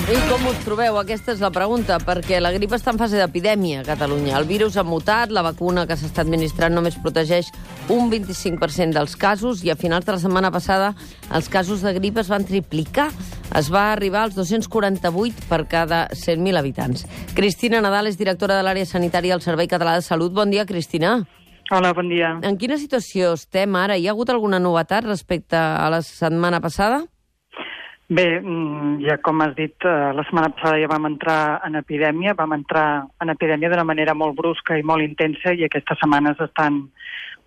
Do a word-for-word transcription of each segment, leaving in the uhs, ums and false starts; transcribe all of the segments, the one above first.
I com us trobeu? Aquesta és la pregunta, perquè la grip està en fase d'epidèmia a Catalunya. El virus ha mutat, la vacuna que s'està administrant només protegeix un vint-i-cinc per cent dels casos i a finals de la setmana passada els casos de grip es van triplicar. Es va arribar als dos-cents quaranta-vuit per cada cent mil habitants. Cristina Nadal és directora de l'àrea sanitària al Servei Català de Salut. Bon dia, Cristina. Hola, bon dia. En quina situació estem ara? Hi ha hagut alguna novetat respecte a la setmana passada? Bé, ja com has dit, la setmana passada ja vam entrar en epidèmia, vam entrar en epidèmia d'una manera molt brusca i molt intensa i aquestes setmanes estan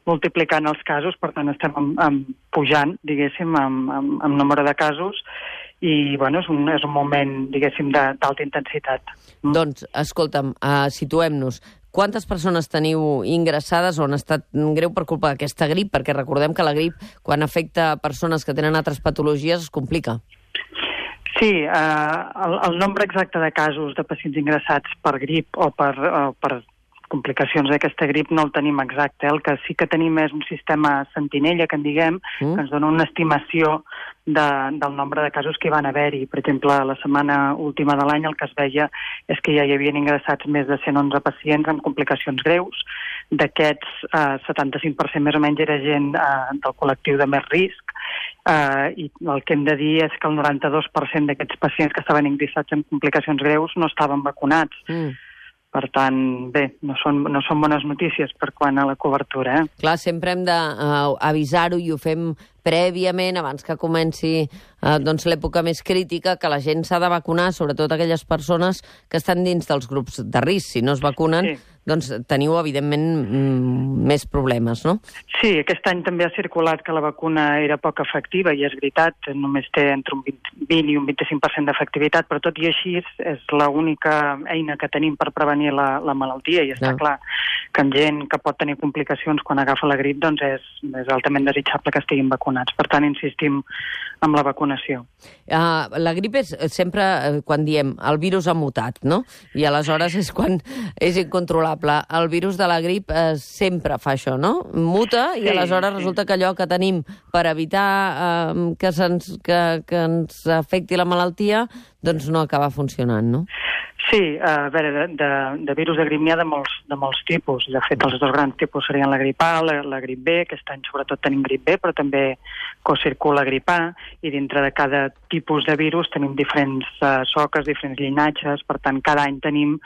multiplicant els casos, per tant estem amb, amb pujant, diguéssim, amb, amb, amb número de casos i, bueno, és un, és un moment, diguéssim, d'alta intensitat. Mm. Doncs, escolta'm, uh, situem-nos. Quantes persones teniu ingressades o han estat greu per culpa d'aquesta grip? Perquè recordem que la grip, quan afecta persones que tenen altres patologies, es complica. Sí, eh, el, el nombre exacte de casos de pacients ingressats per grip o per, o per complicacions d'aquesta grip no el tenim exacte. El que sí que tenim és un sistema sentinella, que en diguem, mm. que ens dona una estimació de, del nombre de casos que hi van haver-hi. Per exemple, la setmana última de l'any el que es veia és que ja hi havien ingressats més de cent onze pacients amb complicacions greus. D'aquests, eh, setanta-cinc per cent més o menys era gent eh, del col·lectiu de més risc. Uh, i el que hem de dir és que el noranta-dos per cent d'aquests pacients que estaven ingressats en complicacions greus no estaven vacunats. Mm. Per tant, bé, no són, no són bones notícies per quant a la cobertura. Eh? Clar, sempre hem d'avisar-ho uh, i ho fem prèviament, abans que comenci uh, doncs, l'època més crítica, que la gent s'ha de vacunar, sobretot aquelles persones que estan dins dels grups de risc. Si no es vacunen, sí. doncs teniu, evidentment, mm, més problemes, no? Sí, aquest any també ha circulat que la vacuna era poc efectiva, i és veritat, només té entre un vint i un vint-i-cinc per cent d'efectivitat, però tot i així és l'única eina que tenim per prevenir la, la malaltia, i està no. clar que en gent que pot tenir complicacions quan agafa la grip, doncs és, és altament desitjable que estiguin vacunats. Per tant, insistim amb la vacunació. Uh, la grip és sempre, quan diem, el virus ha mutat, no? I aleshores és quan és incontrolable. El virus de la grip eh, sempre fa això, no? Muta i sí, aleshores sí. resulta que allò que tenim per evitar eh, que, se'ns, que, que ens afecti la malaltia, doncs no acaba funcionant, no? Sí, a veure, de, de, de virus de grip n'hi ha de molts, de molts tipus. De fet, els dos grans tipus serien la grip A, la, la grip B. Aquest any sobretot tenim grip B, però també cocircula grip A, i dintre de cada tipus de virus tenim diferents uh, soques, diferents llinatges, per tant, cada any tenim,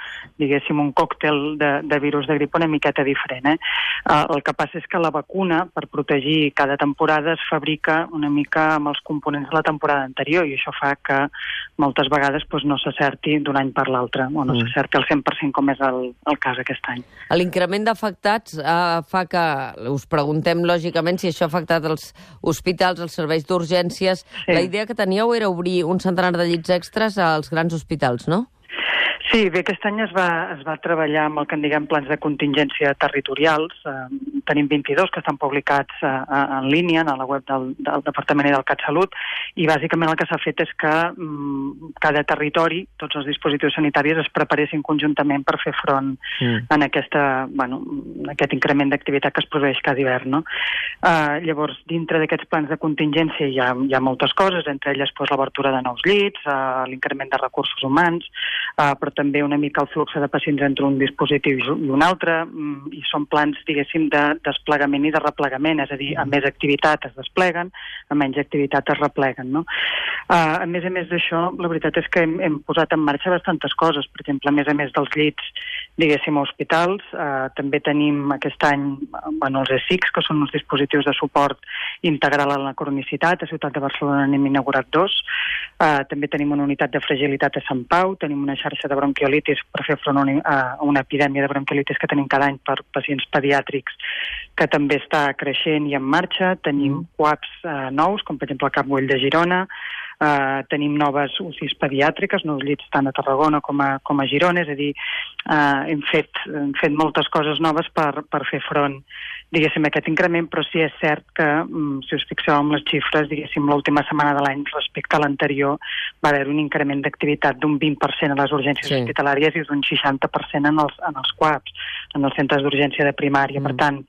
diguéssim, un còctel de, de virus de grip una miqueta diferent. Eh? Uh, el que passa és que la vacuna, per protegir cada temporada, es fabrica una mica amb els components de la temporada anterior, i això fa que moltes vegades doncs, no s'acerti d'un any per l'altre, o no mm. s'acerti al cent per cent com és el, el cas aquest any. L'increment d'afectats eh, fa que us preguntem, lògicament, si això ha afectat els hospitals, els serveis d'urgències. Sí. La idea que teníeu era obrir un centenar de llits extres als grans hospitals, no? Sí, bé, aquest any es va, es va treballar amb el que en diguem plans de contingència territorials. Eh, tenim vint-i-dos que estan publicats eh, en línia, a la web del, del Departament i del CatSalut, i bàsicament el que s'ha fet és que mm, cada territori, tots els dispositius sanitaris es preparessin conjuntament per fer front mm. en aquesta, bueno, aquest increment d'activitat que es produeix cada hivern. No? Eh, llavors, dintre d'aquests plans de contingència hi ha, hi ha moltes coses, entre elles pues, l'obertura de nous llits, eh, l'increment de recursos humans, eh, però també una mica el flux de pacients entre un dispositiu i un altre, i són plans, diguéssim, de desplegament i de replegament, és a dir, a més activitat es despleguen, a menys activitat es repleguen, no? Uh, a més a més d'això, la veritat és que hem, hem posat en marxa bastantes coses. Per exemple, a més a més dels llits, diguéssim, a hospitals, uh, també tenim aquest any bueno, els E S I Cs, que són uns dispositius de suport integral a la cronicitat. A Ciutat de Barcelona n'hem inaugurat dos. Uh, també tenim una unitat de fragilitat a Sant Pau, tenim una xarxa de bronquiolitis per fer front a una epidèmia de bronquiolitis que tenim cada any per pacients pediàtrics, que també està creixent i en marxa. Tenim mm. U A Ps eh, nous, com per exemple el Cap Güell de Girona. Uh, tenim noves U C Is pediàtriques, nous llits tant a Tarragona com a, com a Girona, és a dir, uh, hem, fet, hem fet moltes coses noves per, per fer front, diguéssim, a aquest increment, però sí és cert que, um, si us fixeu amb les xifres, diguéssim, l'última setmana de l'any respecte a l'anterior va haver un increment d'activitat d'un vint per cent a les urgències sí. hospitalàries i d'un seixanta per cent en els, en els C U A Ps, en els centres d'urgència de primària. Mm. Per tant,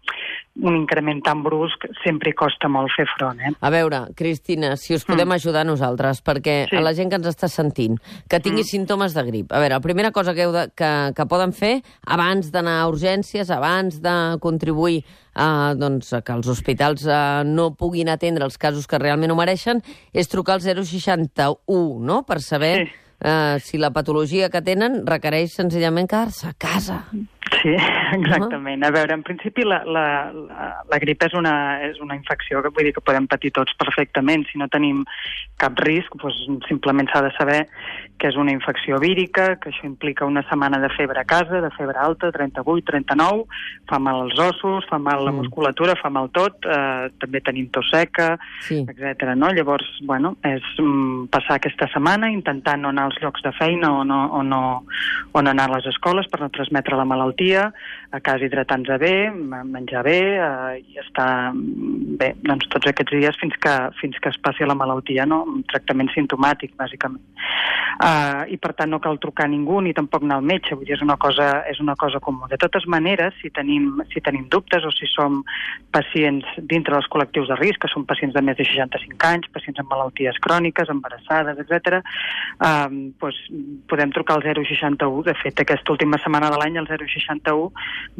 un increment tan brusc sempre hi costa molt fer front. Eh? A veure, Cristina, si us podem mm. ajudar nosaltres, perquè sí. a la gent que ens està sentint, que tingui mm. símptomes de grip. A veure, la primera cosa que, heu de, que, que poden fer, abans d'anar a urgències, abans de contribuir a, doncs, a que els hospitals eh, no puguin atendre els casos que realment ho mereixen, és trucar al zero seixanta-u, no?, per saber... Sí. Uh, si la patologia que tenen requereix senzillament quedar-se a casa. Sí, exactament. A veure, en principi la, la, la, la grip és una, és una infecció que vull dir que podem patir tots perfectament. Si no tenim cap risc, doncs simplement s'ha de saber que és una infecció vírica, que això implica una setmana de febre a casa, de febre alta, trenta-vuit, trenta-nou, fa mal als ossos, fa mal a la musculatura, fa mal tot, eh, també tenim tos seca, sí. etcètera. No? Llavors, bueno, és mm, passar aquesta setmana intentant no anar als llocs de feina o no, o no, o no anar a les escoles per no transmetre la malaltia, a casa hidratant-se bé, menjar bé eh, i estar bé doncs, tots aquests dies fins que, fins que es passi la malaltia, no? Un tractament simptomàtic, bàsicament. Uh, I per tant no cal trucar a ningú ni tampoc anar al metge, vull dir, és una cosa, és una cosa comú. De totes maneres, si tenim, si tenim dubtes o si som pacients dintre dels col·lectius de risc, que són pacients de més de seixanta-cinc anys, pacients amb malalties cròniques, embarassades, etcètera, uh, doncs podem trucar al zero seixanta-u. De fet, aquesta última setmana de l'any el zero seixanta-u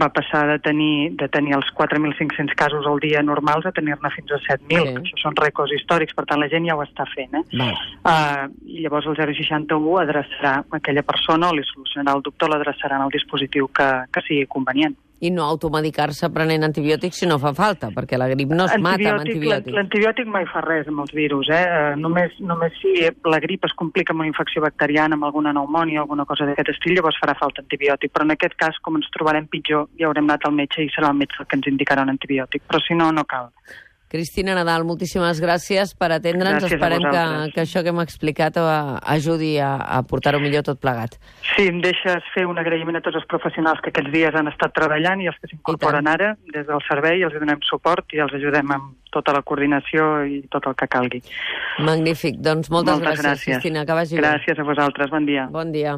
va passar de tenir, de tenir els quatre mil cinc-cents casos al dia normals a tenir-ne fins a set mil, sí. que això són rècords històrics, per tant la gent ja ho està fent. Eh? Uh, I llavors el zero seixanta-u adreçarà aquella persona o li solucionarà el dubte o l'adreçarà en el dispositiu que, que sigui convenient. I no automedicar-se prenent antibiòtics si no fa falta, perquè la grip no es mata amb antibiòtics. L'antibiòtic mai fa res amb els virus. Eh? Uh, només, només si la grip es complica amb una infecció bacteriana, amb alguna pneumònia o alguna cosa d'aquest estil, llavors farà falta antibiòtic. Però en aquest cas, com ens trobarem pitjor, ja haurem anat al metge i serà el metge el que ens indicarà un antibiòtic. Però si no, no cal. Cristina Nadal, moltíssimes gràcies per atendre'ns. Gràcies. Esperem que, que això que hem explicat ajudi a, a portar-ho millor tot plegat. Sí, em deixes fer un agraïment a tots els professionals que aquests dies han estat treballant i els que s'incorporen ara des del servei, els donem suport i els ajudem amb tota la coordinació i tot el que calgui. Magnífic. Doncs moltes, moltes gràcies, gràcies, Cristina. Que vagi gràcies bé. A vosaltres. Bon dia. Bon dia.